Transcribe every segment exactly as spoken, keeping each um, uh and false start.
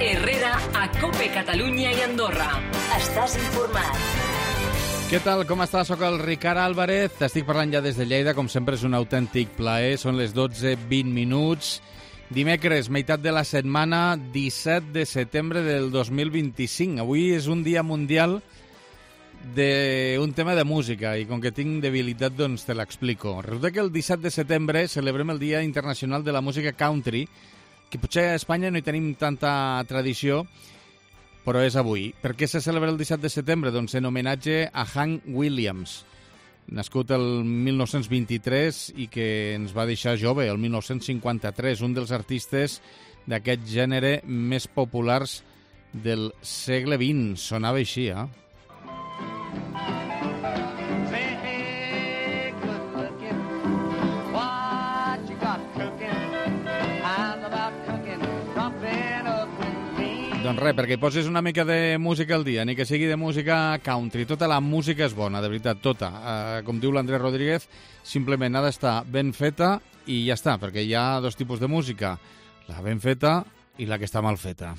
Herrera a COPE Catalunya i Andorra. Estàs informat. Què tal, com estàs? Soc el Ricard Álvarez, t'estic parlant ja des de Lleida, com sempre és un autèntic plaer, són les dotze vint minuts. Dimecres, meitat de la setmana, disset de setembre del dos mil vint-i-cinc. Avui és un dia mundial d'un tema de música i com que tinc debilitat, doncs te l'explico. Resulta que el disset de setembre celebrem el Dia Internacional de la Música Country, que potser a Espanya no hi tenim tanta tradició, però és avui. Per què se celebra el disset de setembre? Doncs en homenatge a Hank Williams, nascut el mil nou-cents vint-i-tres i que ens va deixar jove, el mil nou-cents cinquanta-tres, un dels artistes d'aquest gènere més populars del segle vint. Sonava així, eh? Doncs res, perquè hi poses una mica de música al dia, ni que sigui de música country. Tota la música és bona, de veritat, tota. Uh, com diu l'Andrés Rodríguez, simplement ha d'estar ben feta i ja està, perquè hi ha dos tipus de música, la ben feta i la que està mal feta.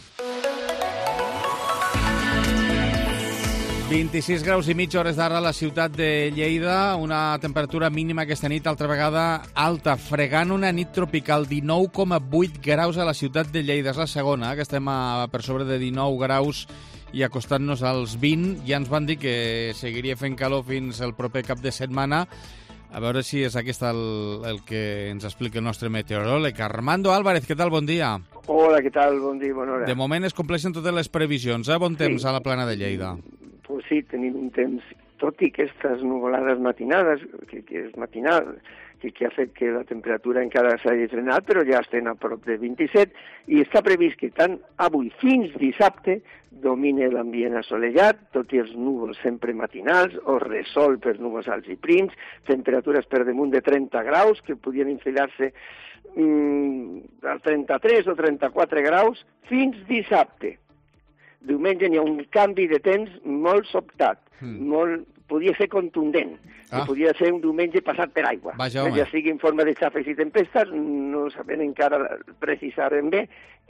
vint-i-sis graus i mitja hores d'ara a la ciutat de Lleida, una temperatura mínima aquesta nit, altra vegada alta, fregant una nit tropical, dinou coma vuit graus a la ciutat de Lleida. És la segona, que estem a, per sobre de dinou graus i acostant-nos als vint. Ja ens van dir que seguiria fent calor fins el proper cap de setmana. A veure si és aquest el, el que ens explica el nostre meteoròleg. Armando Álvarez, què tal? Bon dia. Hola, què tal? Bon dia, bona hora. De moment es compleixen totes les previsions, eh? Bon temps sí. A la plana de Lleida. Pues sí, tenim un temps, tot i que aquestes nuvolades matinades, que, que és matinal, que, que ha fet que la temperatura encara s'hagi frenat, però ja estem a prop de vint-i-set, i està previst que tant avui fins dissabte domine l'ambient assolellat, tot i els núvols sempre matinals, o resol per núvols alts i prims, temperatures per damunt de trenta graus, que podien enfilar-se mm, a trenta-tres o trenta-quatre graus, fins dissabte. Diumenge hi ha un canvi de temps molt sobtat, mm. molt, podia ser contundent, ah. que podia ser un diumenge passat per aigua. Vaja, ja sigui en forma de xafes i tempestes, no sabem encara precisar ben bé,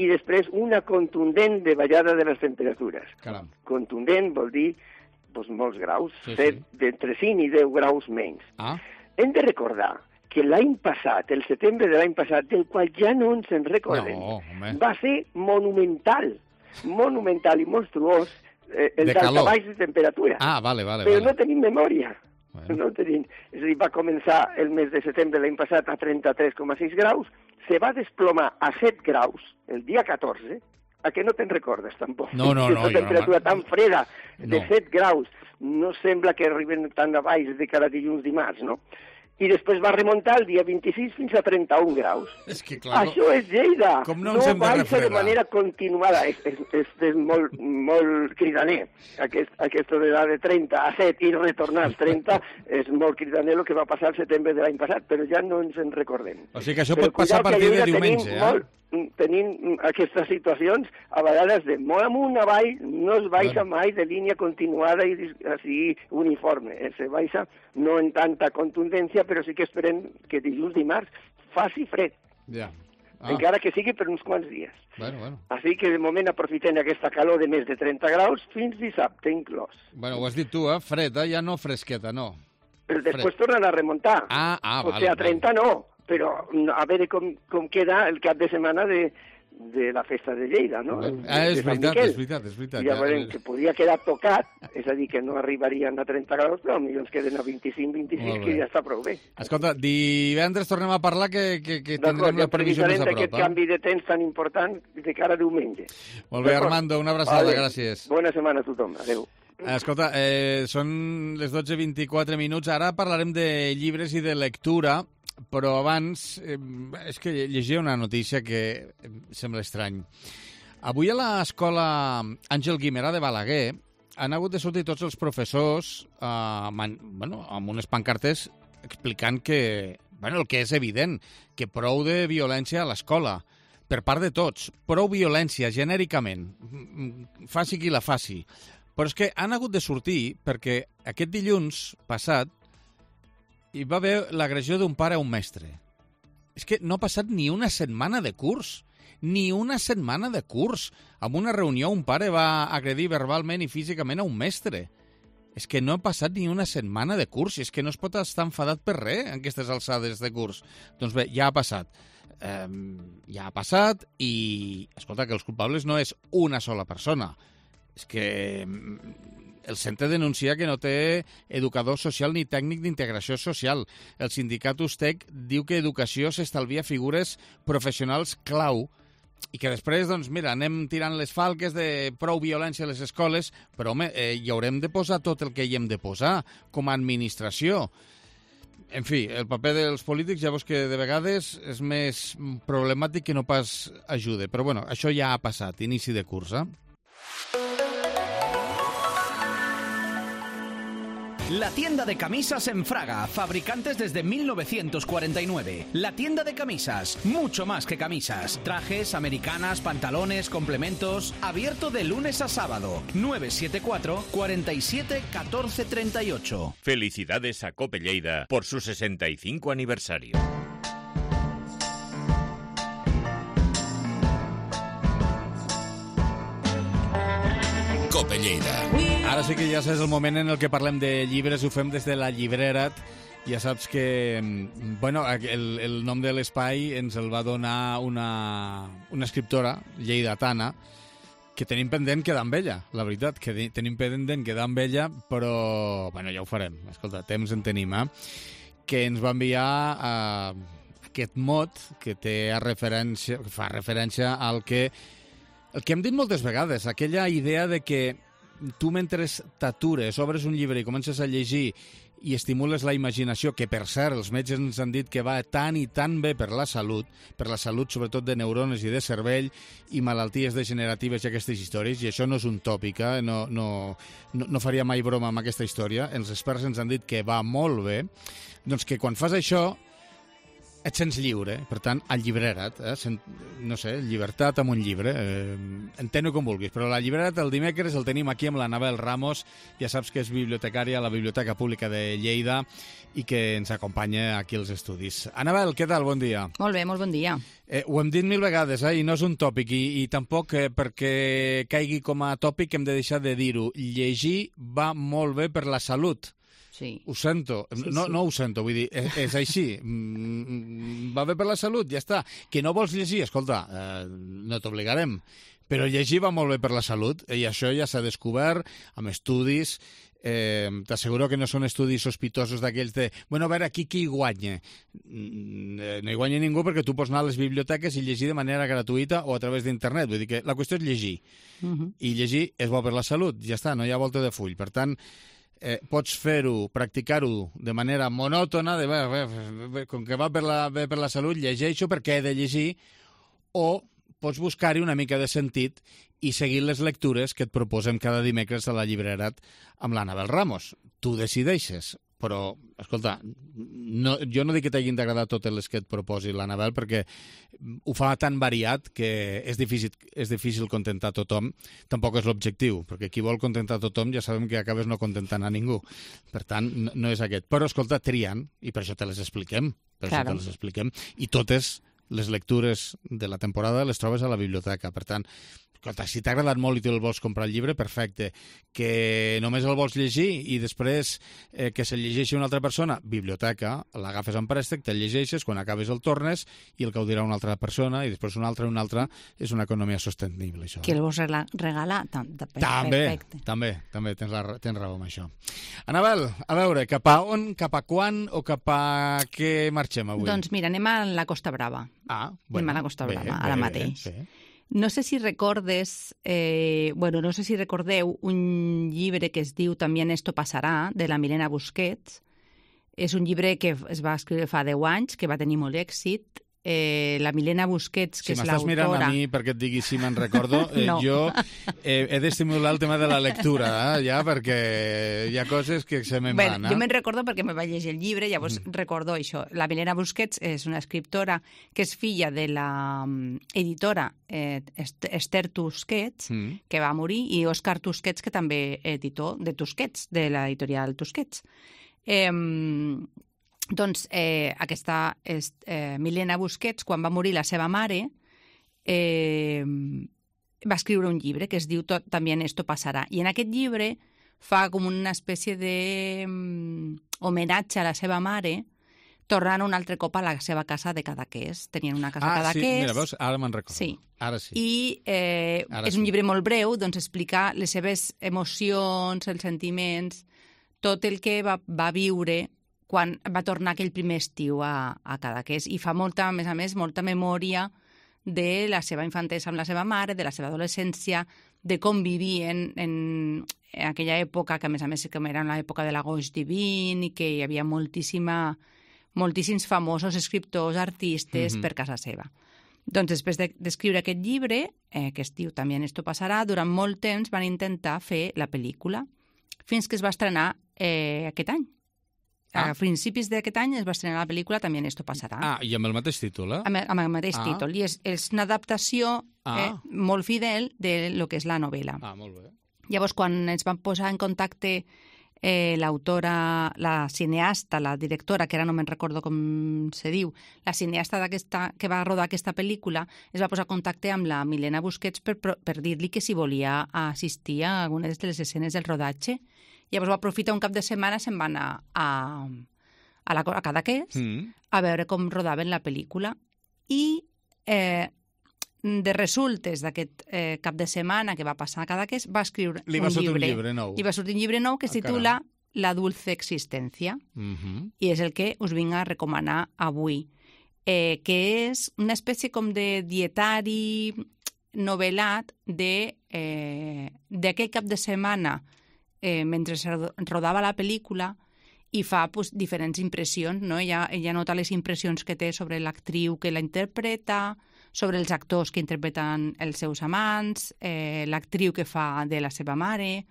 i després una contundent de ballada de les temperatures. Caram. Contundent vol dir doncs, molts graus, sí, set, sí. d'entre cinc i deu graus menys. Ah. Hem de recordar que l'any passat, el setembre de l'any passat, del qual ja no ens en recordem, no, va ser monumental. monumental i monstruós eh, el daltabaix de temperatura. Ah, vale, vale. Però vale. no tenim memòria. Bueno. No tenim. És a dir, va començar el mes de setembre l'any passat a trenta-tres coma sis graus, se va desplomar a set graus el dia catorze, a què no te'n recordes tampoc? No, no, no. Una temperatura no, tan freda de no. set graus, no sembla que arriben tan a baix de cada dilluns dimarts, no? I després va remuntar el dia vint-i-sis fins a trenta-un graus. És que, clar, això és Lleida. Com no ens hem de refredar? No baixa de manera continuada. És, és, és, és molt, molt cridaner. Aquest, aquesta de trenta a set i retornar als trenta és molt cridaner el que va passar el setembre de l'any passat, però ja no ens en recordem. O sigui que això però pot passar a partir de diumenge, eh? Molt, tenim aquestes situacions a vegades de molt amunt, avall, no es baixa bueno. mai de línia continuada i així uniforme. Eh? Se baixa no en tanta contundència, però sí que esperem que dilluns, dimarts, faci fred. Ja. Ah. Encara que sigui per uns quants dies. Bueno, bueno. Així que de moment aprofitem aquesta calor de més de trenta graus fins dissabte inclòs. Bueno, ho has dit tu, eh? Fred, eh? Ja no fresqueta, no. Però després fred. Tornen a remuntar. Ah, ah, o vale. sigui, a trenta vale. no. Però a veure com, com queda el cap de setmana de, de la festa de Lleida, no? Ah, és veritat, és veritat, és veritat. Ja veurem que podria quedar tocat, és a dir, que no arribarien a trenta graus, però potser ens queden a vint-i-cinc vint-i-sis, que ja està prou bé. Escolta, divendres tornem a parlar que, que, que tindrem la previsió més a prop. D'aquest eh? canvi de temps tan important de cara a diumenge. Molt bé, Armando, una abraçada, vale. Gràcies. Bona setmana a tothom, adéu. Escolta, eh, són les dotze vint-i-quatre minuts, ara parlarem de llibres i de lectura, però abans eh, és que llegia una notícia que sembla estrany. Avui a l'escola Àngel Guimerà de Balaguer han hagut de sortir tots els professors eh, man, bueno, amb unes pancartes explicant que, bueno, el que és evident, que prou de violència a l'escola, per part de tots, prou violència genèricament, faci qui la faci. Però és que han hagut de sortir perquè aquest dilluns passat hi va haver l'agressió d'un pare a un mestre. És que no ha passat ni una setmana de curs Ni una setmana de curs. En una reunió un pare va agredir verbalment i físicament a un mestre. És que no ha passat ni una setmana de curs, i és que no es pot estar enfadat per res en aquestes alçades de curs. Doncs bé, ja ha passat. Eh, ja ha passat i, escolta, que els culpables no és una sola persona. És que el centre denuncia que no té educador social ni tècnic d'integració social. El sindicat Ustec diu que educació s'estalvia figures professionals clau i que després, doncs, mira, anem tirant les falques de prou violència a les escoles, però, home, eh, hi haurem de posar tot el que hi hem de posar com a administració. En fi, el paper dels polítics ja veus que de vegades és més problemàtic que no pas ajuda. Però, bueno, això ja ha passat, inici de curs, eh? La tienda de camisas en Fraga, fabricantes desde mil novecientos cuarenta y nueve. La tienda de camisas, mucho más que camisas. Trajes, americanas, pantalones, complementos. Abierto de lunes a sábado. nueve siete cuatro, cuarenta y siete, catorce treinta y ocho. Felicidades a Cope Lleida por su sesenta y cinco aniversario. Cope Lleida. Ara sí que ja és el moment en el que parlem de llibres, ho fem des de la llibrera. Ja saps que, bueno, el, el nom de l'espai ens el va donar una, una escriptora lleidatana que tenim pendent quedar amb ella, la veritat, que tenim pendent quedar amb ella, però, bueno, ja ho farem. Escolta, temps en tenim, eh? Que ens va enviar uh, aquest mot que té a referència, que fa referència al que, el que hem dit moltes vegades, aquella idea de que tu mentre t'atures, obres un llibre i comences a llegir i estimules la imaginació, que per cert els metges ens han dit que va tan i tan bé per la salut, per la salut sobretot de neurones i de cervell i malalties degeneratives i aquestes històries, i això no és un tòpic, eh? no, no, no, no faria mai broma amb aquesta història, els experts ens han dit que va molt bé, doncs que quan fas això et sents lliure, per tant, allibrera't, eh? Sent, no sé, llibertat amb un llibre, eh, entén-ho com vulguis, però la llibrera't el dimecres el tenim aquí amb l'Anabel Ramos, ja saps que és bibliotecària a la Biblioteca Pública de Lleida i que ens acompanya aquí als estudis. Anabel, què tal? Bon dia. Molt bé, molt bon dia. Eh, ho hem dit mil vegades, eh? I no és un tòpic, i, i tampoc eh, perquè caigui com a tòpic hem de deixar de dir-ho. Llegir va molt bé per la salut. Sí. Ho sento, Sí, no, sí. no ho sento, vull dir, és, és així, mm, va bé per la salut, ja està. Que no vols llegir, escolta, eh, no t'obligarem, però llegir va molt bé per la salut, i això ja s'ha descobert amb estudis, eh, t'asseguro que no són estudis sospitosos d'aquells de, bueno, a veure, aquí qui hi guanya? No hi guanya ningú perquè tu pots anar a les biblioteques i llegir de manera gratuïta o a través d'internet, vull dir que la qüestió és llegir, Uh -huh. i llegir és bo per la salut, ja està, no hi ha volta de full, per tant, Eh, pots fer-ho, practicar-ho de manera monòtona, de, bé, bé, bé, com que va per la, bé per la salut, llegeixo perquè he de llegir, o pots buscar-hi una mica de sentit i seguir les lectures que et proposem cada dimecres a la llibrera amb l'Anabel Ramos. Tu decideixes, però, escolta, no, jo no dic que t'hagin d'agradar totes les que et proposi l'Anabel, perquè ho fa tan variat que és difícil, és difícil contentar tothom. Tampoc és l'objectiu, perquè qui vol contentar tothom ja sabem que acabes no contentant a ningú. Per tant, no, no és aquest. Però, escolta, triant, i per això te les expliquem, per Claro. això te les expliquem, i totes les lectures de la temporada les trobes a la biblioteca. Per tant, escolta, si t'ha agradat molt i te'l vols comprar el llibre, perfecte. Que només el vols llegir i després eh, que se'l llegeixi una altra persona, biblioteca, l'agafes en préstec, te'l llegeixes, quan acabes el tornes i el gaudirà una altra persona i després una altra i una altra. És una economia sostenible, això. Qui el vols regla- regalar? Tam, tam, També, perfecte. també, també tens, la, tens raó amb això. Anabel, a veure, cap a on, cap a quan o cap a què marxem avui? Doncs mira, anem a la Costa Brava. ah, anem a la Costa bé, Brava, bé, ara bé, mateix. bé. No sé si recordes, eh, bueno, no sé si recordeu un llibre que es diu También esto pasará, de la Milena Busquets. És un llibre que es va escriure fa deu anys, que va tenir molt èxit. Eh, la Milena Busquets, Si que és m'estàs mirant l'autora... a mi perquè et digui si me'n recordo, eh, No. jo eh, he d'estimular el tema de la lectura, eh, ja, perquè hi ha coses que se me'n Bé, van. jo Eh? me'n recordo perquè me vaig llegir el llibre, llavors mm. recordo això. La Milena Busquets és una escriptora que és filla de la mm, editora eh, Est- Esther Tusquets, Mm. que va morir, i Òscar Tusquets, que també editor de Tusquets, de l'editorial Tusquets. Eh, doncs eh, aquesta és, eh, Milena Busquets, quan va morir la seva mare, eh, va escriure un llibre que es diu tot, También esto pasará. I en aquest llibre fa com una espècie de um, homenatge a la seva mare, tornant un altre cop a la seva casa de Cadaqués. Tenien una casa ah, a Cadaqués. Ah, sí, mira, veus? Ara me'n recordo. Sí. Ara sí. I eh, Ara és sí. un llibre molt breu, doncs explica les seves emocions, els sentiments, tot el que va, va viure quan va tornar aquell primer estiu a, a Cadaqués. I fa molta, a més a més, molta memòria de la seva infantesa amb la seva mare, de la seva adolescència, de com vivien en, en aquella època, que a més a més com era l'època de l'agost divin i que hi havia moltíssima, moltíssims famosos escriptors, artistes mm-hmm. per casa seva. Doncs després d'escriure aquest llibre, eh, que es diu También esto pasará, durant molt temps van intentar fer la pel·lícula, fins que es va estrenar eh, aquest any. Ah. A principis d'aquest any es va estrenar la pel·lícula También esto pasará. Ah, i amb el mateix títol, eh? Amb, amb el mateix ah. títol. I és, és una adaptació ah. eh, molt fidel de lo que és la novel·la. Ah, molt bé. Llavors, quan ens van posar en contacte eh, l'autora, la cineasta, la directora, que ara no me'n recordo com se diu, la cineasta d'aquesta que va rodar aquesta pel·lícula, es va posar en contacte amb la Milena Busquets per, per dir-li que si volia assistir a algunes de les escenes del rodatge. Llavors va aprofitar un cap de setmana, se'n va anar a, a, la, a Cadaqués mm. a veure com rodaven la pel·lícula. I eh, de resultes d'aquest eh, cap de setmana que va passar a Cadaqués, va escriure Li va un sortir llibre. un llibre nou. Li va sortir un llibre nou que es ah, titula caram. La dulce existència. Mm-hmm. I és el que us vinc a recomanar avui. Eh, que és una espècie com de dietari novel·lat de, eh, d'aquell cap de setmana Eh, mentre es rodava la pel·lícula i fa pues, diferents impressions, no? Ella, ella nota les impressions que té sobre l'actriu que la interpreta, sobre els actors que interpreten els seus amants, eh, l'actriu que fa de la seva mare.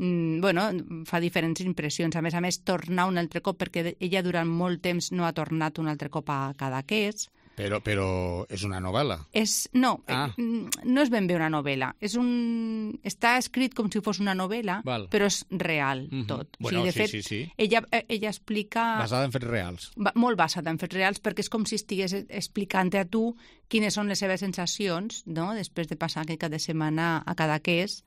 Mm, bueno, fa diferents impressions. A més a més, tornar un altre cop, perquè ella durant molt temps no ha tornat un altre cop a Cadaqués. Però, però és una novel·la. És, no, ah. no és ben bé una novel·la. És un... Està escrit com si fos una novel·la, Val. però és real mm-hmm. tot. Bueno, o sigui, de sí, fet, sí, sí. Ella, ella explica... Basada en fets reals. Va, molt basada en fets reals, perquè és com si estigués explicant a tu quines són les seves sensacions, no?, després de passar aquest cap de setmana a Cadaqués,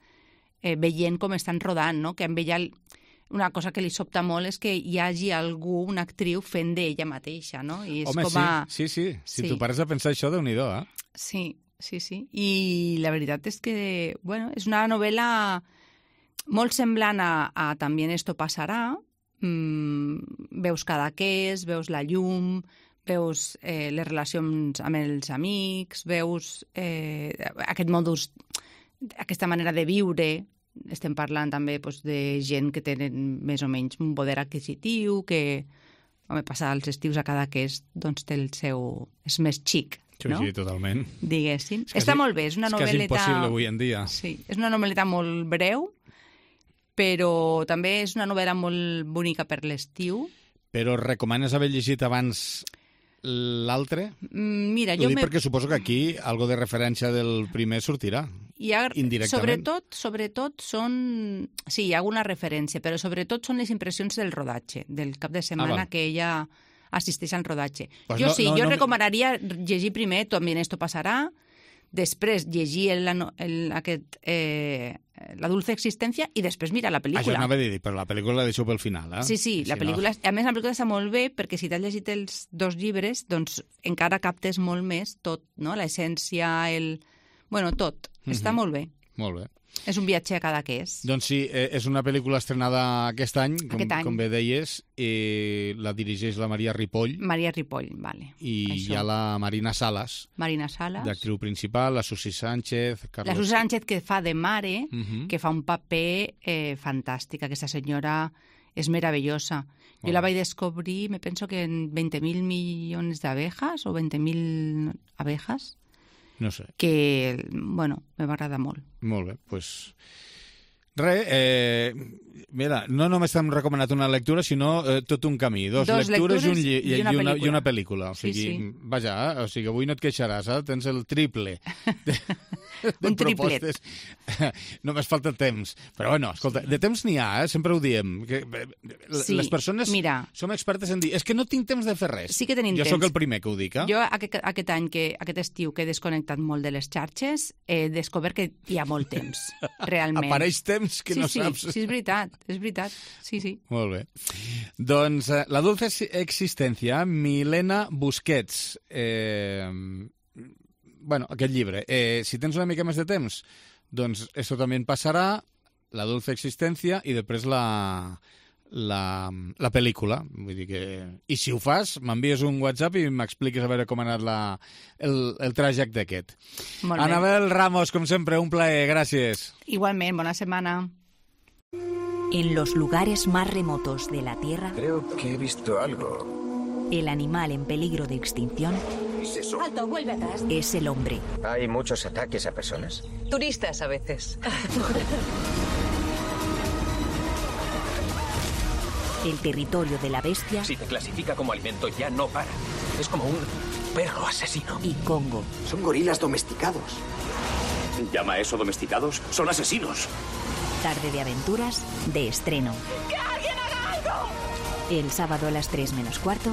eh, veient com estan rodant, no?, que amb ella... Una cosa que li sobta molt és que hi hagi algú, una actriu, fent d'ella mateixa, no? I és Home, com a... sí, sí, sí. Si sí. tu pares a pensar això, Déu-n'hi-do, eh? Sí, sí, sí. I la veritat és que, bueno, és una novel·la molt semblant a, a También esto pasará. Mm, veus Cadaqués, veus la llum, veus eh, les relacions amb els amics, veus eh, aquest modus, aquesta manera de viure. Estem parlant també doncs, de gent que tenen més o menys un poder adquisitiu, que home, passar els estius a Cadaqués doncs, té el seu... és més xic, no? Sí, sí, totalment. Diguéssim. És quasi, Està molt bé, és una és novel·leta... És quasi impossible avui en dia. Sí, és una novel·leta molt breu, però també és una novel·la molt bonica per l'estiu. Però recomanes haver llegit abans l'altre? Mira, jo... Ho dic me... perquè suposo que aquí algo de referència del primer sortirà. Hi ha, indirectament. Sobretot, sobretot són... Sí, hi ha alguna referència, però sobretot són les impressions del rodatge, del cap de setmana ah, que ella assisteix al rodatge. Pues jo no, sí, no, jo no... recomanaria llegir primer También esto pasará, després llegir el, el, aquest, eh, La dulce existència i després mirar la pel·lícula. Això anava a dir, però la pel·lícula la deixo pel final, eh? Sí, sí, la si pel·lícula... No... A més, la pel·lícula està molt bé perquè si t'has llegit els dos llibres, doncs encara captes molt més tot, no? L'essència, el... Bueno, tot. Mm-hmm. Està molt bé. Molt bé. És un viatge a Cadaqués. Doncs sí, és una pel·lícula estrenada aquest any, com, aquest any. com bé deies, i la dirigeix la Maria Ripoll. Maria Ripoll, vale. I Això. Hi ha la Marina Salas. Marina Salas. D'actriu principal, la Susi Sánchez. Carlos... La Susi Sánchez que fa de mare, uh-huh. que fa un paper eh, fantàstic. Aquesta senyora és meravellosa. Jo oh. la vaig descobrir, me penso que en veinte mil millones de abejas o veinte mil abejas. No sé. Que, bueno, me va agradar molt. Molt bé, doncs... Pues... Re, eh, mira, no només t'hem recomanat una lectura, sinó eh, tot un camí. Dos, Dos lectures, lectures i, un lli... i, una i, una, i una pel·lícula. O sigui, sí, sí. Vaja, o sigui, avui no et queixaràs, eh? Tens el triple. de Un triplet. propostes. Només falta temps. Però bueno, escolta, de temps n'hi ha, eh? Sempre ho diem. Que, sí, les persones mira, som expertes en dir és que no tinc temps de fer res. Sí que tenim jo temps. sóc el primer que ho dic, eh? Jo aquest, aquest any, que, aquest estiu que he desconnectat molt de les xarxes, he descobert que hi ha molt temps, realment. Apareix temps que sí, no sí, saps. Sí, és veritat, és veritat. Sí, sí. Molt bé. Doncs eh, la dulce existència, Milena Busquets. Eh, bueno, aquest llibre. Eh, si tens una mica més de temps, doncs esto también passarà, la dulce existència, i després la, la, la pel·lícula. Vull dir que... I si ho fas, m'envies un WhatsApp i m'expliques a veure com ha anat la, el, el trajecte aquest. Molt bé. Anabel Ramos, com sempre, un plaer. Gràcies. Igualment, bona setmana. En los lugares más remotos de la Tierra, creo que he visto algo. El animal en peligro de extinción ¿Es eso? Alto, vuelve atrás. es el hombre. ¿Hay muchos ataques a personas? Turistas a veces. El territorio de la bestia Si te clasifica como alimento ya no para. Es como un perro asesino. y Congo. Son gorilas domesticados. ¿Llama eso domesticados? Son asesinos. Tarde de aventuras de estreno. ¡Que alguien haga algo! El sábado a las tres menos cuarto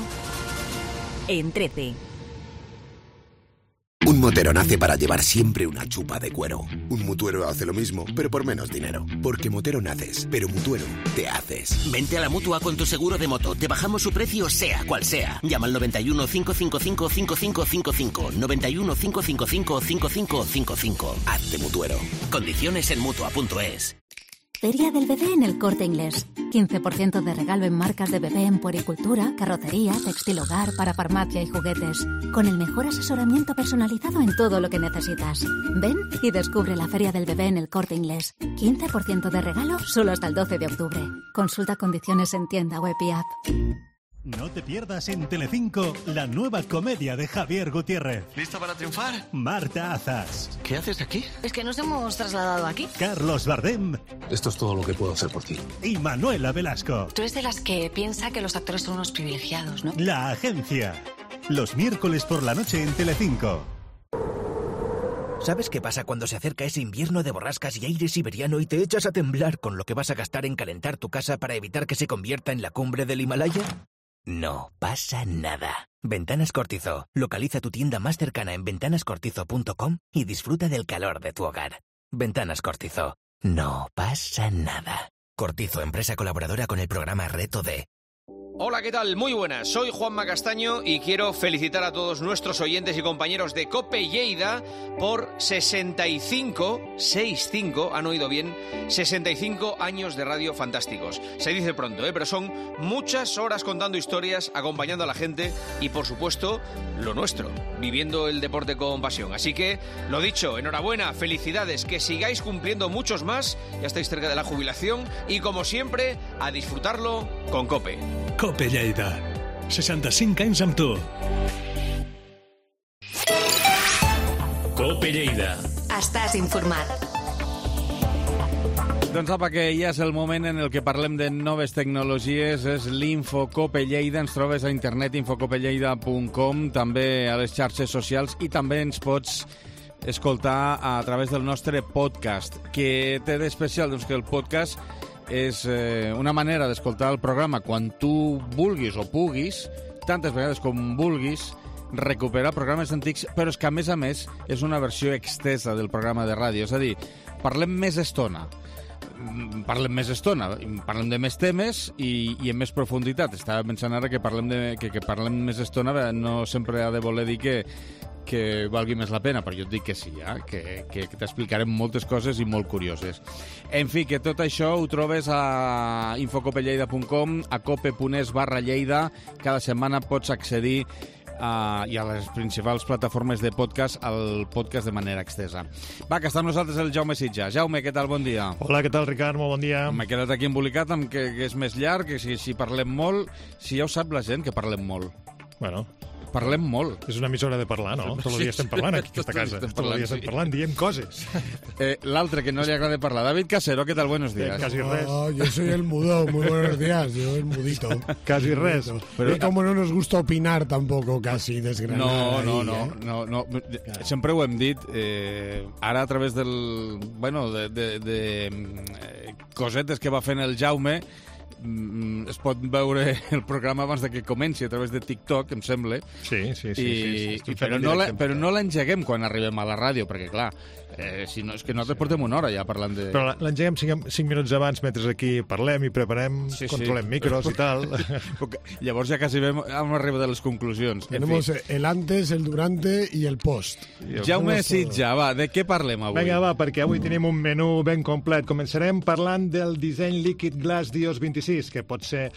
en trece. Un motero nace para llevar siempre una chupa de cuero. Un mutuero hace lo mismo, pero por menos dinero. Porque motero naces, pero mutuero te haces. Vente a la Mutua con tu seguro de moto. Te bajamos su precio sea cual sea. Llama al noventa y uno, cinco cinco cinco, cinco cinco cinco cinco. noventa y uno, cinco cinco cinco, cinco cinco cinco cinco. Hazte mutuero. Condiciones en Mutua punto es. Feria del Bebé en el Corte Inglés. quince por ciento de regalo en marcas de bebé en puericultura, carrocería, textil hogar, para farmacia y juguetes. Con el mejor asesoramiento personalizado en todo lo que necesitas. Ven y descubre la Feria del Bebé en el Corte Inglés. quince por ciento de regalo solo hasta el doce de octubre. Consulta condiciones en tienda web y app. No te pierdas en Telecinco la nueva comedia de Javier Gutiérrez. ¿Lista para triunfar? Marta Azas. ¿Qué haces aquí? Es que nos hemos trasladado aquí. Carlos Bardem. Esto es todo lo que puedo hacer por ti. Y Manuela Velasco. Tú eres de las que piensa que los actores son unos privilegiados, ¿no? La Agencia. Los miércoles por la noche en Telecinco. ¿Sabes qué pasa cuando se acerca ese invierno de borrascas y aire siberiano y te echas a temblar con lo que vas a gastar en calentar tu casa para evitar que se convierta en la cumbre del Himalaya? No pasa nada. Ventanas Cortizo. Localiza tu tienda más cercana en ventanas cortizo punto com y disfruta del calor de tu hogar. Ventanas Cortizo. No pasa nada. Cortizo, empresa colaboradora con el programa Reto D. Hola, ¿qué tal? Muy buenas, soy Juanma Castaño y quiero felicitar a todos nuestros oyentes y compañeros de COPE Lleida por sesenta y cinco, sesenta y cinco, han oído bien, sesenta y cinco años de radio fantásticos. Se dice pronto, ¿eh? Pero son muchas horas contando historias, acompañando a la gente y, por supuesto, lo nuestro, viviendo el deporte con pasión. Así que, lo dicho, enhorabuena, felicidades, que sigáis cumpliendo muchos más, ya estáis cerca de la jubilación y, como siempre, a disfrutarlo con COPE. COPE Lleida. seixanta-cinc anys amb tu. COPE Lleida. Estàs informat. Doncs apa, que ja és el moment en el que parlem de noves tecnologies, és l'Infocope Lleida, ens trobes a internet infocope lleida punt com, també a les xarxes socials i també ens pots escoltar a través del nostre podcast. Què té d'especial? Doncs que el podcast és eh, una manera d'escoltar el programa quan tu vulguis o puguis, tantes vegades com vulguis, recuperar programes antics, però és que, a més a més, és una versió extesa del programa de ràdio. És a dir, parlem més estona, parlem més estona, parlem de més temes i, i amb més profunditat. Estava pensant ara que parlem, de, que, que parlem més estona no sempre ha de voler dir que que valgui més la pena, però jo et dic que sí, eh? que, que, que t'explicarem moltes coses i molt curioses. En fi, que tot això ho trobes a infocope lleida punt com, a cope punt es barra Lleida. Cada setmana pots accedir a, i a les principals plataformes de podcast al podcast de manera extesa. Va, que està amb nosaltres el Jaume Sitja. Jaume, què tal? Bon dia. Hola, què tal, Ricard? Molt bon dia. M'he quedat aquí embolicat amb que, que és més llarg, que si, si parlem molt... Si ja ho sap la gent, que parlem molt. Bueno... Parlem molt. És una emissora de parlar, no? Tot el dia estem parlant aquí, a aquesta casa. Tot el dia estem parlant, diem coses. Eh, L'altre que no li agrada parlar, David Casero, ¿qué tal? Buenos días. Casi res. Oh, yo soy el mudo, muy buenos días, yo el mudito. Casi res. Pero y como no nos gusta opinar tampoco, casi, desgranada. No, no, ahí, no, eh? no, no. Sempre ho hem dit, eh, ara a través del... Bueno, de, de, de eh, cosetes que va fent el Jaume, es pot veure el programa abans de que comenci a través de TikTok, em sembla. Sí, sí, sí. I, sí, sí. i però, no la, però no l'engeguem quan arribem a la ràdio, perquè, clar, eh, si no, és que nosaltres portem una hora ja parlant de... Però l'engeguem cinc, cinc minuts abans, mentre aquí parlem i preparem, sí, controlem sí. micros i tal. Llavors ja quasi vam, vam arribar de les conclusions. Tenemos el antes, el durante i el post. Jaume Sitja, va, de què parlem avui? Vinga, va, perquè avui tenim un menú ben complet. Començarem parlant del disseny Liquid Glass d'iOS vint-i-sis, que pot ser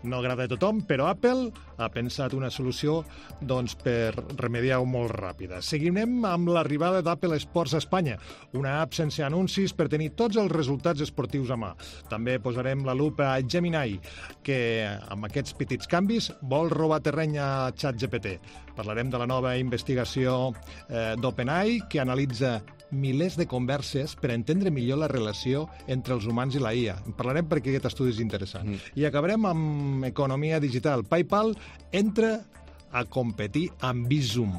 no agrada a tothom, però Apple ha pensat una solució doncs, per remediar-ho molt ràpida. Seguirem amb l'arribada d'Apple Sports a Espanya, una app sense anuncis per tenir tots els resultats esportius a mà. També posarem la lupa a Gemini, que amb aquests petits canvis vol robar terreny a ChatGPT. Parlarem de la nova investigació eh, d'OpenAI, que analitza milers de converses per entendre millor la relació entre els humans i la I A. En parlarem perquè aquest estudi és interessant. Mm. I acabarem amb economia digital. PayPal entra a competir amb Bizum,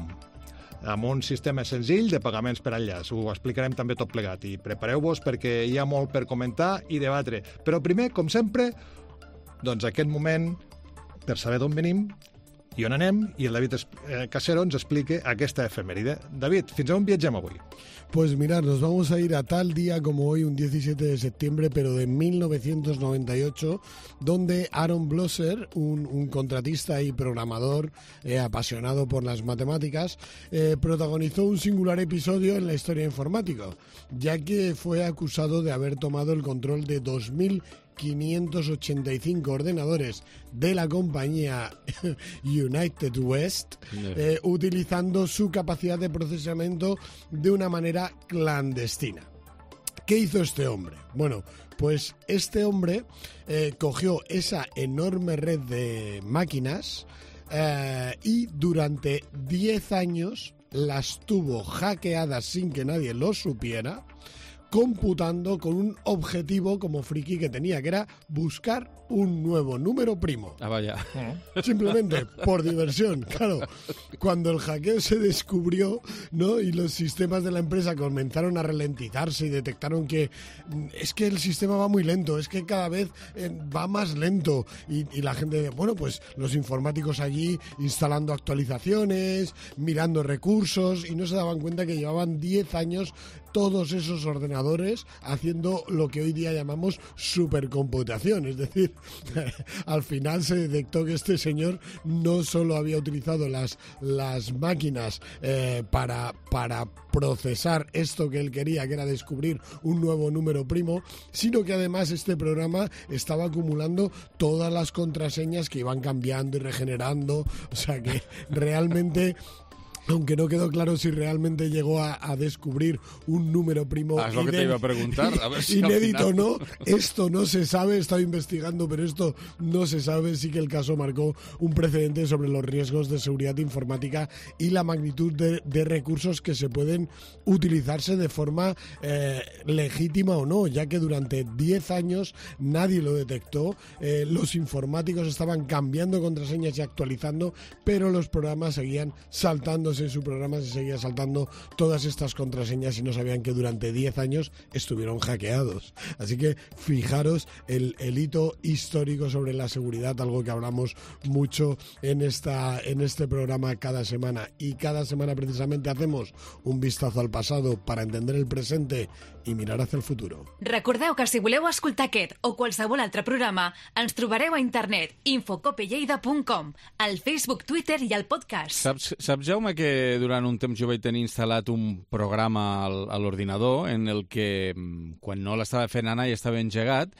amb un sistema senzill de pagaments per enllaç. Ho explicarem també tot plegat i prepareu-vos perquè hi ha molt per comentar i debatre. Però primer, com sempre, doncs aquest moment per saber d'on venim i on anem, i el David Casero ens explica aquesta efemèride. David, fins on viatgem avui? Pues mirad, nos vamos a ir a tal día como hoy, un diecisiete de septiembre, pero de mil novecientos noventa y ocho, donde Aaron Blosser, un, un contratista y programador eh, apasionado por las matemáticas, eh, protagonizó un singular episodio en la historia informática, ya que fue acusado de haber tomado el control de dos mil quinientos ochenta y cinco ordenadores de la compañía United West, eh, utilizando su capacidad de procesamiento de una manera clandestina. ¿Qué hizo este hombre? Bueno, pues este hombre eh, cogió esa enorme red de máquinas eh, y durante diez años las tuvo hackeadas sin que nadie lo supiera, computando con un objetivo como friki que tenía, que era buscar un nuevo número primo. Ah, vaya. Simplemente por diversión. Claro, cuando el hackeo se descubrió, ¿no? Y los sistemas de la empresa comenzaron a ralentizarse y detectaron que es que el sistema va muy lento, es que cada vez eh, va más lento. Y, y la gente, bueno, pues los informáticos allí instalando actualizaciones, mirando recursos, y no se daban cuenta que llevaban diez años todos esos ordenadores haciendo lo que hoy día llamamos supercomputación. Es decir, al final se detectó que este señor no solo había utilizado las, las máquinas eh, para, para procesar esto que él quería, que era descubrir un nuevo número primo, sino que además este programa estaba acumulando todas las contraseñas que iban cambiando y regenerando. O sea que realmente... Aunque no quedó claro si realmente llegó a, a descubrir un número primo ah, es lo que te iba a preguntar. A ver si inédito o final... no, esto no se sabe, he estado investigando, pero esto no se sabe. Sí que el caso marcó un precedente sobre los riesgos de seguridad informática y la magnitud de, de recursos que se pueden utilizarse de forma eh, legítima o no, ya que durante diez años nadie lo detectó. Eh, los informáticos estaban cambiando contraseñas y actualizando, pero los programas seguían saltándose en su programa, se seguía saltando todas estas contraseñas y no sabían que durante diez años estuvieron hackeados. Así que fijaros el, el hito histórico sobre la seguridad, algo que hablamos mucho en, esta, en este programa cada semana. Y cada semana precisamente hacemos un vistazo al pasado para entender el presente i mirar hacia el futuro. Recordeu que si voleu escoltar aquest o qualsevol altre programa, ens trobareu a internet infocopelleida punt com, al Facebook, Twitter i al podcast. Saps, saps, Jaume, que durant un temps jo vaig tenir instal·lat un programa al, a l'ordinador en el que, quan no l'estava fent anar i estava engegat,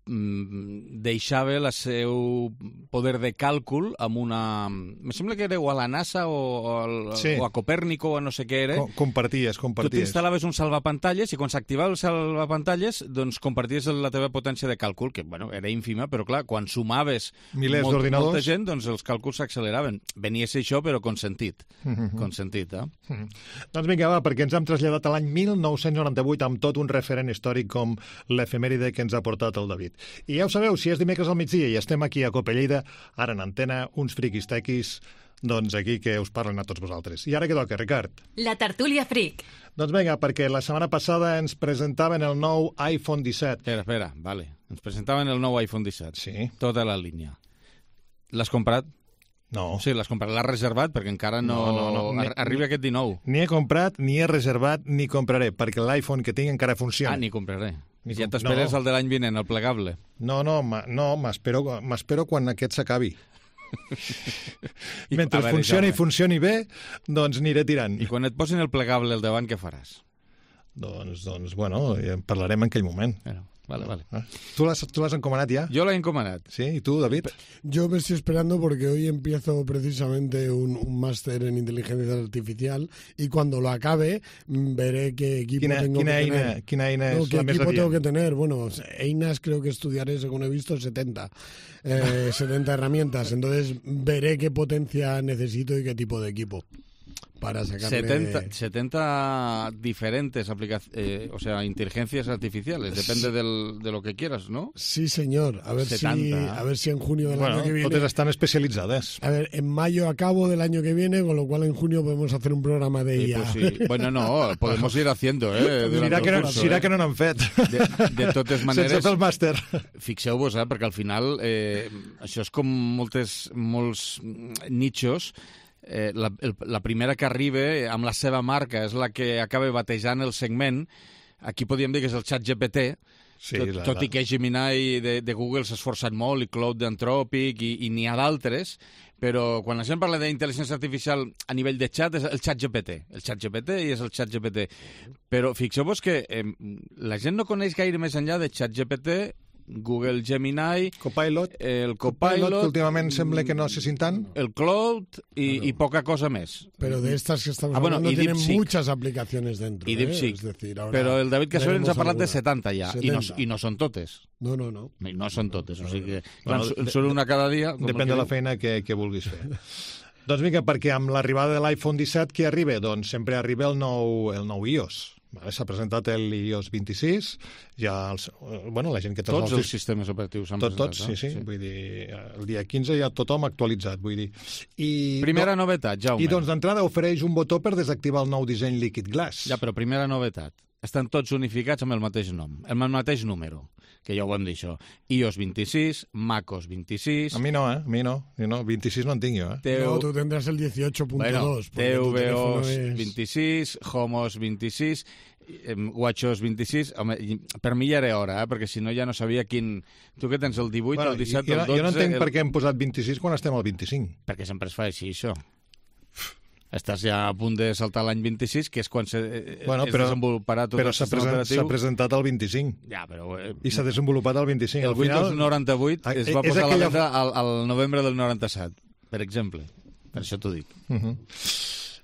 deixava el seu poder de càlcul amb una... Me sembla que era o a la NASA o, o, al, sí. o a Copèrnico o no sé què era. Com, comparties, comparties. Tu t'instal·laves un salvapantalles i quan s'activava el salvapantalles doncs comparties la teva potència de càlcul, que bueno, era ínfima, però clar, quan sumaves milers molt, d'ordinadors, molta gent, doncs els càlculs s'acceleraven. Venia a ser això, però consentit. Mm-hmm. Consentit, eh? Mm-hmm. Doncs vinga, va, perquè ens hem traslladat a l'any mil nou-cents noranta-vuit amb tot un referent històric com l'efemèride que ens ha portat el David. I ja ho sabeu, si és dimecres al migdia i estem aquí a Cope Lleida, ara en antena, uns friquis tequis, doncs aquí que us parlen a tots vosaltres. I ara què toca, Ricard? La tertúlia fric. Doncs vinga, perquè la setmana passada ens presentaven el nou iPhone disset. Espera, espera, vale. Ens presentaven el nou iPhone disset. Sí. Tota la línia. L'has comprat? No. Sí, l'has comprat. L'has reservat perquè encara no... no, no, no. Ar arriba aquest dinou. Ni he comprat, ni he reservat, ni compraré, perquè l'iPhone que tinc encara funciona. Ah, ni compraré. Ni ja comp t'esperes no. el de l'any vinent, el plegable. No, no, no, m'espero quan aquest s'acabi. Mentre veure, funcioni i funcioni bé, doncs aniré tirant. I quan et posin el plegable al davant, què faràs? Doncs, doncs bueno, ja en parlarem en aquell moment. Bueno, vale, vale. ¿Eh? ¿Tú l'has encomanat ya? Yo la he encomanat. ¿Sí? ¿Y tú, David? Yo me estoy esperando porque hoy empiezo precisamente un, un máster en inteligencia artificial y cuando lo acabe veré qué equipo quina, tengo quina que eina, tener. Quina eina no, és ¿qué la més equipo tengo adient? que tener? Bueno, einas creo que estudiaré, según he visto, setenta. Eh, setenta herramientas. Entonces veré qué potencia necesito y qué tipo de equipo. Para sacarle... setenta, setenta diferentes aplicaciones, eh, o sea, inteligencias artificiales, depende del, de lo que quieras, ¿no? Sí, señor. A ver, si, a ver si en junio del bueno, año que viene... totes estan especialitzades. A ver, en mayo acabo del año que viene, con lo cual en junio podemos hacer un programa de I A. Sí, pues sí. Bueno, no, podemos ir haciendo, eh? Dirà que, no, curso, dirà eh? que no n'han fet. De, de totes maneres... Sense fer el màster. Fixeu-vos, eh? Perquè al final eh, això és com moltes, molts nichos. Eh, la, el, la primera que arriba amb la seva marca és la que acaba batejant el segment. Aquí podríem dir que és el ChatGPT, sí, tot, la, tot la... i que Gemini de, de Google s'ha esforçat molt, i Cloud d'Anthropic, i, i n'hi ha d'altres, però quan la gent parla d'intel·ligència artificial a nivell de chat és el ChatGPT. El ChatGPT i és el ChatGPT. Però fixeu-vos que eh, la gent no coneix gaire més enllà de ChatGPT, Google Gemini, Copilot, el Copilot, Copilot, que últimament sembla que no se sintan, el Cloud y, bueno. y poca cosa más. Pero de estas que estamos ah, bueno, hablando tienen DeepSeek. muchas aplicaciones dentro. Y DeepSeek. ¿eh? Es decir, ahora pero el David Casover ens ha parlat alguna. de setanta ja, i no, i no són totes. No, no, no. I no són totes, o sigui que bueno, clar, són una cada dia. Depèn de la feina que, que vulguis fer. Doncs vinga, perquè amb l'arribada de l'iPhone disset, què arriba? Doncs sempre arriba el nou, el nou iOS. Vale, s'ha presentat el iOS vint-i-sis, ja els, bueno, la gent que... Tots els, els sistemes operatius s'han tot, presentat. Tots, sí, sí, sí. Vull dir, el dia quinze ja tothom actualitzat, vull dir. I, primera do... novetat, Jaume. I doncs d'entrada ofereix un botó per desactivar el nou disseny Liquid Glass. Ja, però primera novetat. Estan tots unificats amb el mateix nom, amb el mateix número, que ja ho vam dir això. iOS vint-i-sis, macOS vint-i-sis... A mi no, eh? A mi no. no. vint-i-sis no en tinc jo, eh? Teu... No, tu tendrás el dieciocho punto dos. Bueno, tvOS es... vint-i-sis, HomeOS vint-i-sis, WatchOS vint-i-sis... Home, per mi ja era hora, eh? Perquè si no ja no sabia quin... Tu que tens el divuit, bueno, el disset, jo, el dotze... Jo no entenc el... per què hem posat vint-i-sis quan estem al vint-i-cinc. Perquè sempre es fa així, això. Estàs ja a punt de saltar l'any vint-i-sis, que és quan se, bueno, es però, desenvoluparà tot però el sistema present, operatiu. S'ha presentat el vint-i-cinc. Ja, però... Eh, I s'ha desenvolupat el vint-i-cinc. El Windows final, noranta-vuit es va posar aquella... a la venda al, al novembre del noranta-set, per exemple. Per això t'ho dic. Uh -huh.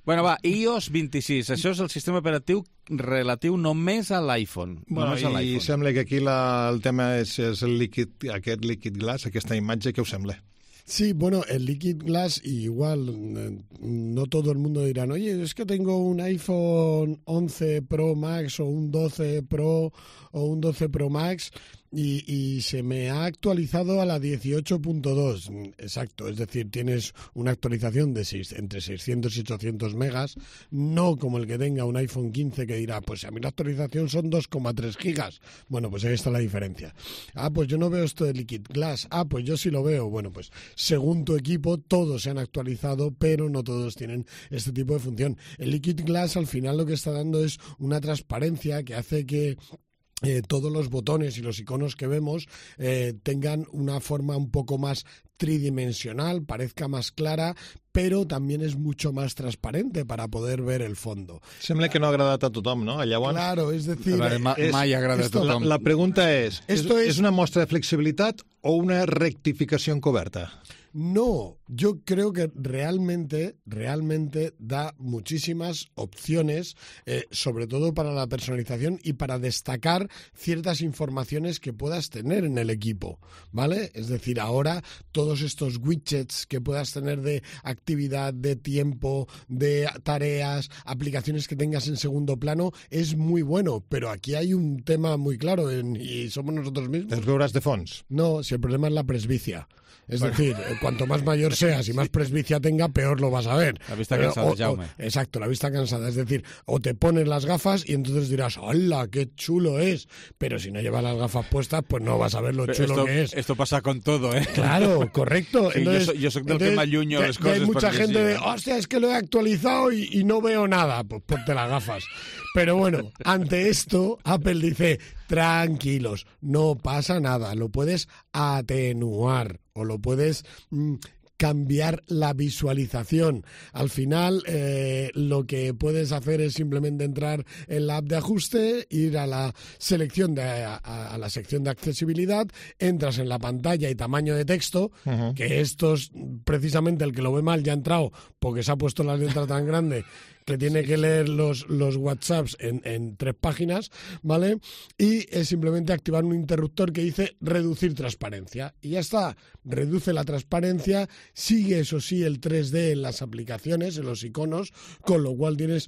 Bueno, va, iOS vint-i-sis. Això és el sistema operatiu relatiu només a l'iPhone. Bueno, I sembla que aquí la, el tema és, és el líquid, aquest Liquid Glass, aquesta imatge, què us sembla? Sí, bueno, el Liquid Glass igual, no todo el mundo dirán, oye, es que tengo un iPhone once Pro Max o un doce Pro o un doce Pro Max y, y se me ha actualizado a la dieciocho punto dos. Exacto, es decir, tienes una actualización de seis, entre seiscientos y ochocientos megas, no como el que tenga un iPhone quince que dirá, pues a mí la actualización son dos coma tres gigas. Bueno, pues ahí está la diferencia. Ah, pues yo no veo esto de Liquid Glass. Ah, pues yo sí lo veo. Bueno, pues según tu equipo, todos se han actualizado, pero no todos tienen este tipo de función. El Liquid Glass al final lo que está dando es una transparencia que hace que Eh, todos los botones y los iconos que vemos eh, tengan una forma un poco más tridimensional, parezca más clara, pero también es mucho más transparente para poder ver el fondo. Sembla que no ha agradat a tothom, no? Llavors, claro, es decir... Veure, ma, mai agrada a tothom. La, la pregunta és, Esto és, es... és una mostra de flexibilitat o una rectificació encoberta? No, yo creo que realmente, realmente da muchísimas opciones, eh, sobre todo para la personalización y para destacar ciertas informaciones que puedas tener en el equipo, ¿vale? Es decir, ahora todos estos widgets que puedas tener de actividad, de tiempo, de tareas, aplicaciones que tengas en segundo plano, es muy bueno, pero aquí hay un tema muy claro en, y somos nosotros mismos. Els veuràs de fons? No, si el problema es la presbicia. Es bueno. decir, cuanto más mayor seas y más presbicia tenga, peor lo vas a ver. La vista cansada, o, Jaume. O, exacto, la vista cansada. Es decir, o te pones las gafas y entonces dirás, ¡hala, qué chulo es! Pero si no llevas las gafas puestas, pues no vas a ver lo Pero chulo esto, que es. Esto pasa con todo, ¿eh? Claro, correcto. Sí, entonces, yo, soy, yo soy del entonces, que m'allunyo les coses. Hay mucha gente sí, de, ¿eh? hostia, es que lo he actualizado y, y no veo nada. Pues ponte las gafas. Pero bueno, ante esto, Apple dice, tranquilos, no pasa nada, lo puedes atenuar o lo puedes mmm, cambiar la visualización. Al final, eh, lo que puedes hacer es simplemente entrar en la app de ajuste, ir a la selección de a, a la sección de accesibilidad, entras en la pantalla y tamaño de texto, uh-huh. que esto es precisamente el que lo ve mal ya ha entrado porque se ha puesto la letra tan grande que tiene que leer los, los WhatsApps en, en tres páginas, ¿vale? Y es simplemente activar un interruptor que dice reducir transparencia. Y ya está, reduce la transparencia, sigue eso sí el tres D en las aplicaciones, en los iconos, con lo cual tienes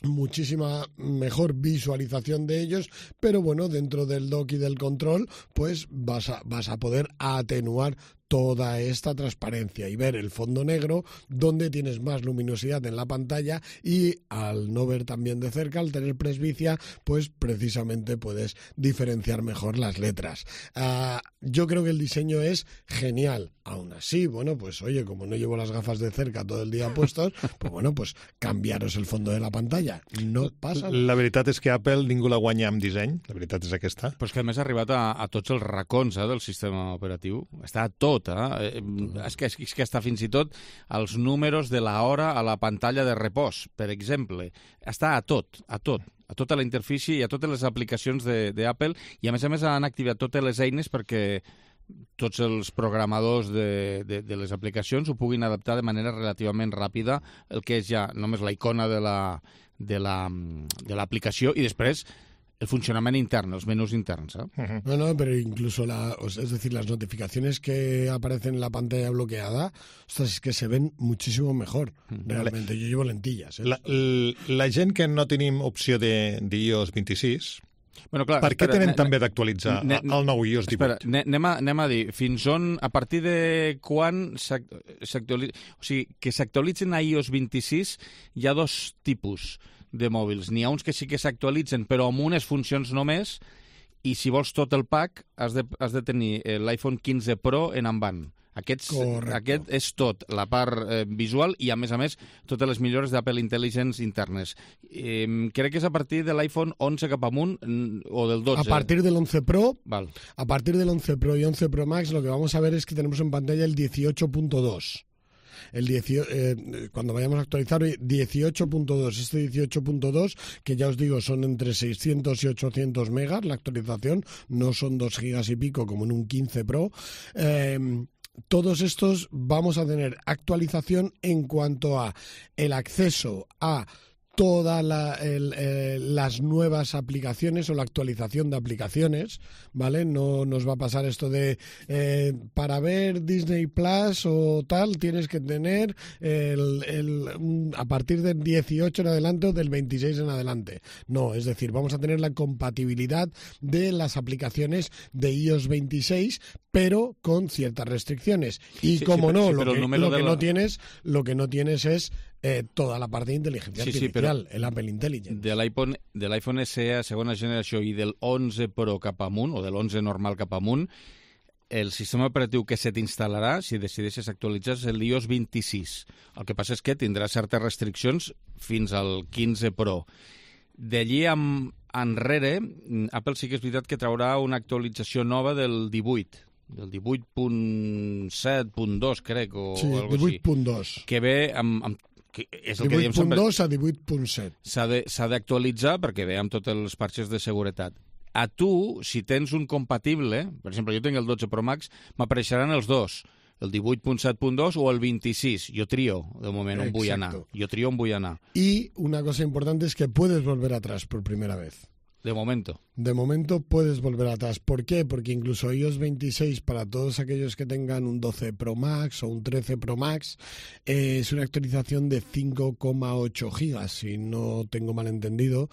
muchísima mejor visualización de ellos, pero bueno, dentro del dock y del control, pues vas a, vas a poder atenuar toda esta transparencia y ver el fondo negro donde tienes más luminosidad en la pantalla y al no ver también de cerca, al tener presbicia, pues precisamente puedes diferenciar mejor las letras. Uh, yo creo que el diseño es genial. Aún así, bueno, pues oye, como no llevo las gafas de cerca todo el día puestos, pues bueno, pues cambiaros el fondo de la pantalla. No passa. La veritat és que Apple ningú la guanya amb disseny, la veritat és aquesta. Però és que a més ha arribat a, a tots els racons eh, del sistema operatiu. Està a tot, eh? És que, és que està fins i tot els números de l'hora a la pantalla de repòs, per exemple. Està a tot, a tot. A tota la interfície i a totes les aplicacions d'Apple, i a més a més han activat totes les eines perquè tots els programadors de, de, de les aplicacions ho puguin adaptar de manera relativament ràpida el que és ja només la icona de la, de la, de l'aplicació i després el funcionament intern, els menús interns. ¿eh? Uh-huh. No, no, pero incluso, la, es decir, las notificaciones que aparecen en la pantalla bloqueada, ostras, es que se ven muchísimo mejor, uh-huh. realmente. Yo llevo lentillas. ¿eh? La, la, la gent que no tenim opció de, de i o ess vint-i-sis, bueno, clar, per què espera, tenen ne, també d'actualitzar el nou i o ess divuit? Espera, anem a, anem a dir, fins on, a partir de quan s'actualitza... O sigui, que s'actualitzen a i o ess vint-i-sis hi ha dos tipus de mòbils. N'hi ha uns que sí que s'actualitzen, però amb unes funcions només, i si vols tot el pack has de, has de tenir l'iPhone quinze Pro en avant. Aquests, aquest és tot, la part eh, visual i, a més a més, totes les millores d'Apple Intelligence internes. Eh, crec que és a partir de l'iPhone onze cap amunt o del dotze. A partir del once Pro, Val. a partir del once Pro y once Pro Max, lo que vamos a ver es que tenemos en pantalla el dieciocho punto dos. El dieciocho, eh, cuando vayamos a actualizar dieciocho punto dos, este dieciocho punto dos, que ya os digo son entre seiscientos y ochocientos megas la actualización, no son dos gigas y pico como en un quince Pro. Eh, todos estos vamos a tener actualización en cuanto a el acceso a todas la, el, eh, las nuevas aplicaciones o la actualización de aplicaciones, ¿vale? No nos va a pasar esto de eh, para ver Disney Plus o tal tienes que tener el, el, a partir del dieciocho en adelante o del veintiséis en adelante. No, es decir, vamos a tener la compatibilidad de las aplicaciones de i o ess veintiséis, pero con ciertas restricciones. Y sí, como sí, no, sí, lo, que, lo que la... no tienes, lo que no tienes es Eh, toda la part d'intel·ligència sí, artificial, sí, el Apple Intelligence. De l'iPhone de l'iPhone S E segona generació i del onze Pro cap amunt, o de l'onze normal cap amunt, el sistema operatiu que se t'instal·larà, si decideixes actualitzar, és l'i o ess vint-i-sis. El que passa és que tindrà certes restriccions fins al quinze Pro. D'allí enrere, Apple sí que és veritat que traurà una actualització nova del divuit. el divuit punt set punt dos, crec, o sí, alguna cosa divuit punt dos. així. Que ve amb... amb que és el que divuit diem sempre. divuit punt dos a divuit punt set. S'ha d'actualitzar perquè ve amb tots els parxes de seguretat. A tu, si tens un compatible, per exemple, jo tinc el dotze Pro Max, m'apareixeran els dos, el divuit punt set punt dos o el vint-i-sis. Jo trio, de moment, on vull anar. Jo trio on vull anar. Y una cosa importante es que puedes volver atrás por primera vez. De momento. De momento puedes volver atrás. ¿Por qué? Porque incluso iOS veintiséis, para todos aquellos que tengan un doce Pro Max o un trece Pro Max, eh, es una actualización de cinco coma ocho gigas, si no tengo mal entendido,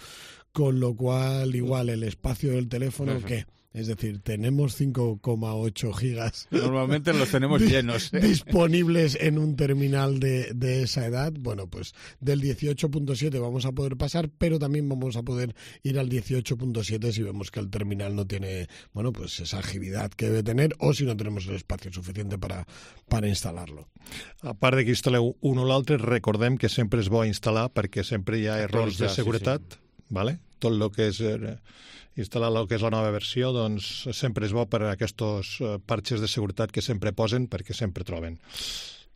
con lo cual igual el espacio del teléfono, ¿qué? Es decir, tenemos cinco coma ocho gigas. Normalmente los tenemos llenos. ¿eh? Disponibles en un terminal de, de esa edad. Bueno, pues del dieciocho punto siete vamos a poder pasar, pero también vamos a poder ir al dieciocho punto siete si vemos que el terminal no tiene, bueno, pues esa agilidad que debe tener o si no tenemos el espacio suficiente para, para instalarlo. A part de que instal·leu un o l'altre, recordem que sempre és bo instal·lar perquè sempre hi ha errors de seguretat. Sí, sí. Vale? Tot el que és... Eh, instal·lar el que és la nova versió, doncs sempre és bo per a aquests uh, parxes de seguretat que sempre posen, perquè sempre troben.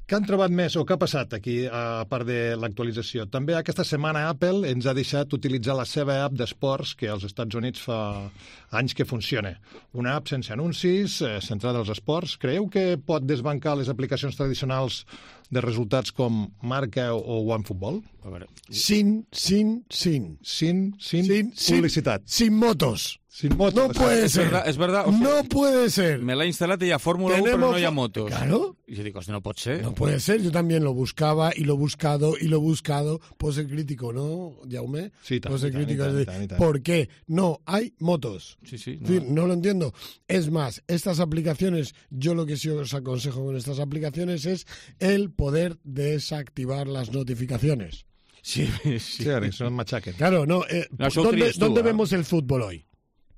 Què han trobat més o què ha passat aquí, a part de l'actualització? També aquesta setmana Apple ens ha deixat utilitzar la seva app d'esports, que als Estats Units fa anys que funciona. Una app sense anuncis, eh, centrada als esports. Creieu que pot desbancar les aplicacions tradicionals de resultats com Marca o OneFootball? A veure. Sin, sin, sin. Sin, sin, sin publicitat. Sin, sin motos. Sin motos. No puede es ser. Verdad, es verdad. O sea, no puede ser. Me la he instalado y ya Fórmula uno, pero no hay motos. Claro. Y yo digo, no puede ser. No puede ser. Yo también lo buscaba y lo he buscado y lo he buscado. Puedo ser crítico, ¿no, Jaume? Sí, tan, Puedo ser tan, crítico. tan, de, tan, tan. ¿Por qué no hay motos? Sí, sí. No. Es decir, no lo entiendo. Es más, estas aplicaciones, yo lo que sí os aconsejo con estas aplicaciones es el poder desactivar las notificaciones. Sí, sí. Sí, que son machaquen. Claro, no. Eh, no ¿Dónde, tú, ¿dónde ¿eh? vemos el fútbol hoy?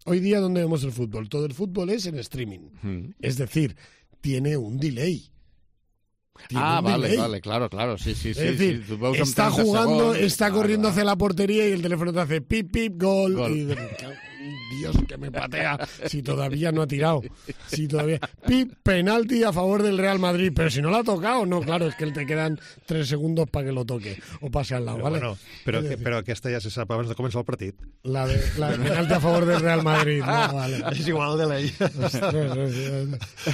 Hoy día, ¿dónde vemos el fútbol? Todo el fútbol es en streaming. Hmm. Es decir, tiene un delay. Tiene ah, un vale, delay. vale, claro, claro, sí, sí, sí. Es decir, sí, tú está jugando, segundos, está ah, corriendo va. hacia la portería y el teléfono te hace pip, pip, gol. Gol. Y de, Dios, que me patea. Si todavía no ha tirado. Si todavía... Pip, penalti a favor del Real Madrid. Pero si no lo ha tocado, no, claro, es que te quedan tres segundos para que lo toque o pase al lado, Però, ¿vale? bueno, però, que, però aquesta ja se sap abans de començar el partit. La de, la de penalti a favor del Real Madrid. No, vale. És igual de ley.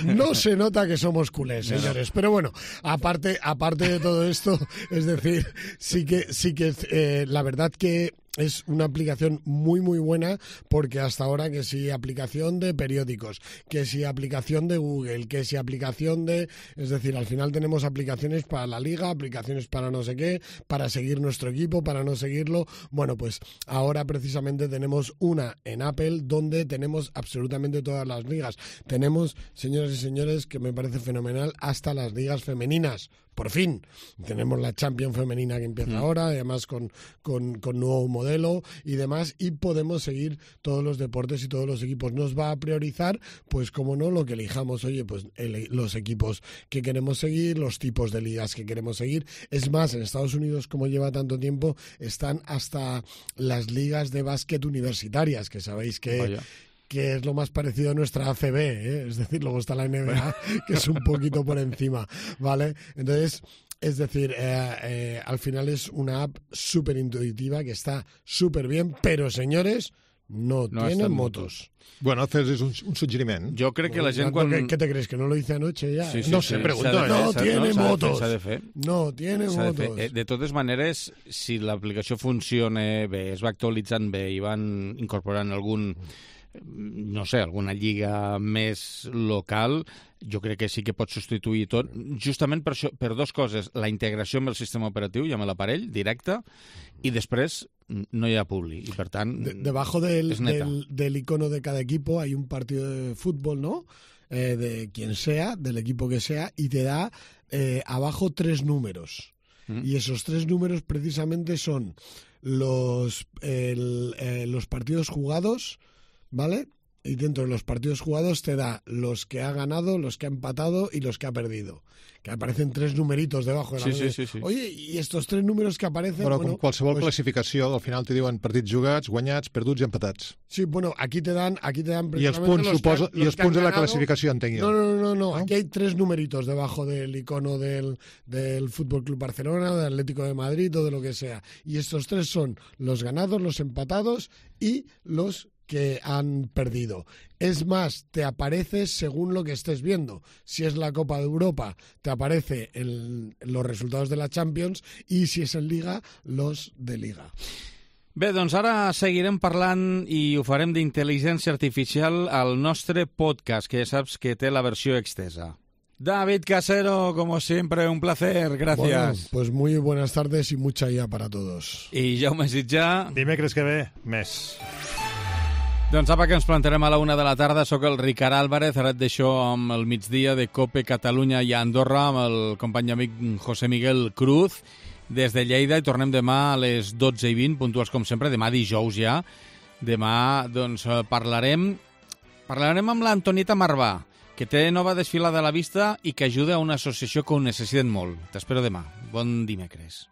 No se nota que somos culés, señores. Pero bueno, aparte, aparte de todo esto, es decir, sí que, sí que eh, la verdad que es una aplicación muy muy buena porque hasta ahora que si aplicación de periódicos, que si aplicación de Google, que si aplicación de... Es decir, al final tenemos aplicaciones para la liga, aplicaciones para no sé qué, para seguir nuestro equipo, para no seguirlo. Bueno, pues ahora precisamente tenemos una en Apple donde tenemos absolutamente todas las ligas. Tenemos, señoras y señores, que me parece fenomenal, hasta las ligas femeninas. Por fin, tenemos la Champions femenina que empieza mm. ahora, además con, con, con nuevo modelo y demás, y podemos seguir todos los deportes y todos los equipos. Nos va a priorizar, pues como no, lo que elijamos, oye, pues el, los equipos que queremos seguir, los tipos de ligas que queremos seguir. Es más, en Estados Unidos, como lleva tanto tiempo, están hasta las ligas de básquet universitarias, que sabéis que... Vaya. que es lo más parecido a nuestra A C B, ¿eh? Es decir, luego está la N B A, que es un poquito por encima, ¿vale? Entonces, es decir, eh, eh, al final es una app súper intuitiva, que está súper bien, pero, señores, no, no tiene motos. Bueno, haces es un, un suggeriment. Jo crec que la gent quan... ¿Qué, ¿Qué te crees? ¿Que no lo hice anoche ya? Sí, sí, no sí, sé, pregunto. De No, fer, tiene no, motos. S'ha de fer. No, tiene motos. De, fer. de totes maneres, si l'aplicació funciona bé, es va actualitzant bé i van incorporant algun... no sé, alguna lliga més local, jo crec que sí que pot substituir tot, justament per, això, per dues coses, la integració amb el sistema operatiu i amb l'aparell directe, i després no hi ha publi, i per tant de, debajo del, del, del icono de cada equipo hay un partido de fútbol, ¿no? Eh, de quien sea, del equipo que sea, y te da eh, abajo tres números. Mm. Y esos tres números precisamente son los, el, eh, los partidos jugados, ¿vale? y dentro de los partidos jugados te da los que ha ganado, los que ha empatado y los que ha perdido. Que aparecen tres numeritos debajo de la sí, sí, sí, sí. Oye, y estos tres números que aparecen... Bueno, bueno, com qualsevol pues, classificació, al final te diuen partits jugats, guanyats, perduts i empatats. Sí, bueno, aquí te dan... Aquí te dan I els punts, los suposo, que, i els punts de la classificació, entenc jo. No, no, no, no, aquí hay tres numeritos debajo del icono del, del Fútbol Club Barcelona, del Atlético de Madrid o de lo que sea. Y estos tres son los ganados, los empatados y los que han perdido. Es más, te aparece según lo que estés viendo. Si es la Copa de Europa, te aparece el, los resultados de la Champions, y si es en Liga, los de Liga. Bé, doncs ara seguirem parlant i ho farem d'intel·ligència artificial al nostre podcast, que ja saps que té la versió extesa. David Casero, como siempre, un placer, gracias. Bueno, pues muy buenas tardes y mucha ya para todos. I Jaume Sitjà. Dimecres que ve, més. Doncs apa, que ens plantarem a la una de la tarda. Soc el Ricard Álvarez, ara et deixo amb el migdia de COPE Catalunya i Andorra amb el company amic José Miguel Cruz des de Lleida, i tornem demà a les dotze i vint, puntuals com sempre, demà dijous ja. Demà doncs parlarem parlarem amb l'Antonieta Marvà, que té nova desfilada a la vista i que ajuda a una associació que ho necessiten molt. T'espero demà. Bon dimecres.